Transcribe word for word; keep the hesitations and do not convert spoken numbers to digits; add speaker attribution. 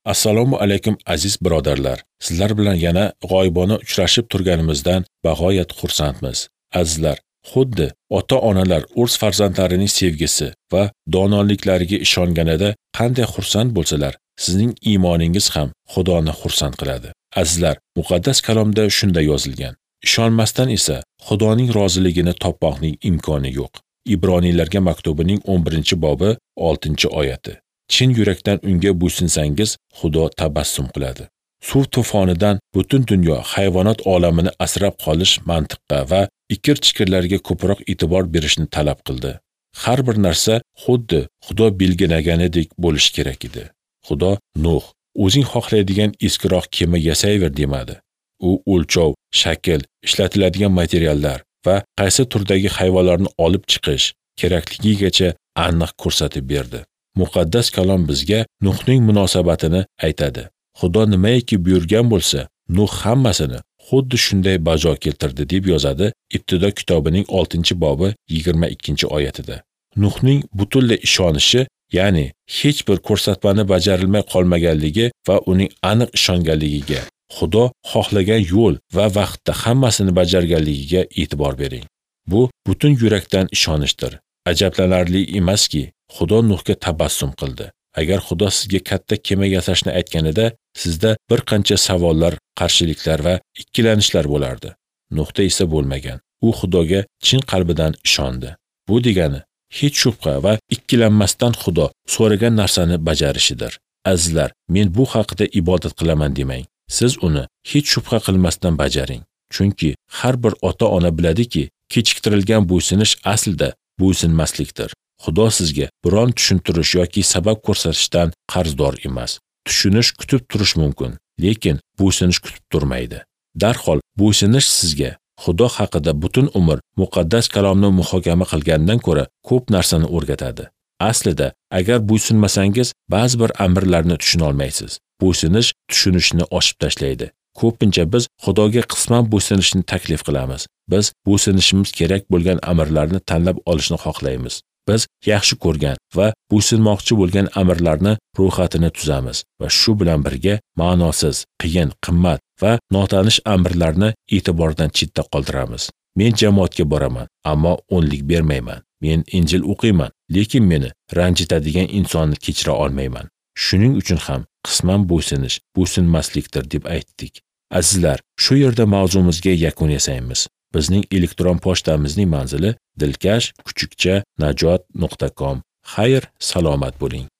Speaker 1: Assalomu alaykum aziz birodarlar. Sizlar bilan yana g'oyibona uchrashib turganimizdan bag'oyat xursandmiz. Azizlar, xuddi ota-onalar o'z farzandlarining sevgisi va donoliklariga ishonganida qanday xursand bo'lsalar, sizning iymoningiz ham Xudoni xursand qiladi. Azizlar, muqaddas kalomda shunday yozilgan. Ishonmasdan esa Xudoning roziligini topmoqning imkoni yo'q. Ibroniylarga maktubining o'n birinchi bobi oltinchi oyati. Chin yurakdan unga bo'ysunsangiz, Xudo tabassum qiladi. Suv to'fonidan butun dunyo hayvonot olamini asrab qolish mantiqqa va ikir-chikirlarga ko'proq e'tibor berishni talab qildi. Har bir narsa xuddi Xudo belgilaganidek bo'lishi kerak edi. Xudo Nuh, o'zing xohlaydigan eskiroq kema yasayver demadi. U o'lchov, shakl, ishlatiladigan materiallar va qaysi turdagi hayvonlarni olib chiqish kerakligigacha aniq ko'rsatib berdi. Muqaddas kalom bizga Nuhning munosabatini aytadi. Xudo nimaiki buyurgan bo'lsa, Nuh hammasini xuddi shunday bajo keltirdi deb yozadi Ibtido kitobining oltinchi bobi yigirma ikkinchi oyatida. Nuhning butunlay ishonishi, ya'ni hech bir ko'rsatmani bajarilmay qolmaganligi va uning aniq ishonganligiga, Xudo xohlagan yo'l va vaqtda hammasini bajarganligiga e'tibor bering. Bu butun yurakdan ishonishdir. Ajablanarli emaski, Xudo Nuhga tabassum qildi. Agar Xudo sizga katta kema yasashni aytganida, sizda bir qancha savollar, qarshiliklar va ikkilanishlar bo'lardi. Nuhda esa bo'lmagan. U Xudoga chin qalbidan ishondi. Bu degani hech shubha va ikkilanmasdan Xudo so'ragan narsani bajarishidir. Azizlar, men bu haqida ibodat qilaman demang. Siz uni hech shubha qilmasdan bajaring. Chunki har bir ota-ona biladiki, kechiktirilgan bo'ysunish aslida bo'ysunmaslikdir. Xudo sizga biron tushuntirish yoki sabab ko'rsatishdan qarzdor emas. Tushunish kutib turish mumkin, lekin bo'ysunish kutib turmaydi. Darhol bo'ysunish sizga Xudo haqida butun umr muqaddas kalomni muhokama qilgandan ko'ra ko'p narsani o'rgatadi. Aslida, agar bo'ysunmasangiz, ba'zi bir amrlarni tushuna olmaysiz. Bo'ysunish tushunishni oshib tashlaydi. Ko'pincha biz Xudoga qisman bo'ysunishni taklif qilamiz. Biz bo'ysunishimiz kerak bo'lgan amrlarni tanlab olishni xohlaymiz. Biz yaxshi ko'rgan va bo'ysunmoqchi bo'lgan amrlarni ro'yxatini tuzamiz va shu bilan birga ma'nosiz, qiyin, qimmat va notanish amrlarni e'tibordan chetda qoldiramiz. Men jamoatga boraman, ammo o'nlik bermayman. Men Injil o'qiyman, lekin meni ranjitadigan insonni kechira olmayman. Shuning uchun ham qisman bo'ysunish bo'ysunmaslikdir deb aytdik. Azizlar, shu yerda mavzumizga yakun yasaymiz. Bizning elektron pochtamizning manzili dilkash kuchukcha najot nuqta com. Xayr, salomat bo'ling.